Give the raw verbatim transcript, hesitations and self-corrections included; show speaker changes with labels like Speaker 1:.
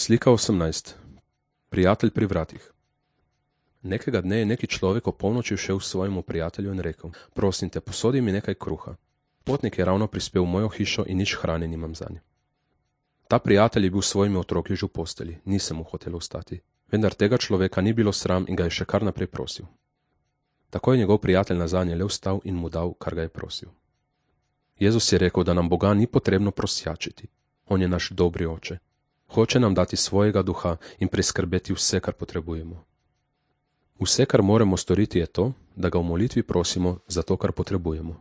Speaker 1: Slika osemnajst. Prijatelj pri vratih. Nekega dne je neki človek o polnoči všel svojemu prijatelju in rekel: Prosim te, posodi mi nekaj kruha. Potnik je ravno prispel v mojo hišo in nič hrane nimam zanj. Ta prijatelj je bil s svojimi otroki že v posteli, nisem mu hotel ostati. Vendar tega človeka ni bilo sram in ga je še kar naprej prosil. Tako je njegov prijatelj nazadnje le vstal in mu dal, kar ga je prosil. Jezus je rekel, da nam Boga ni potrebno prosjačiti. On je naš dobri oče. Hoče nam dati svojega duha in priskrbeti vse, kar potrebujemo. Vse, kar moramo storiti, je to, da ga v molitvi prosimo za to, kar potrebujemo.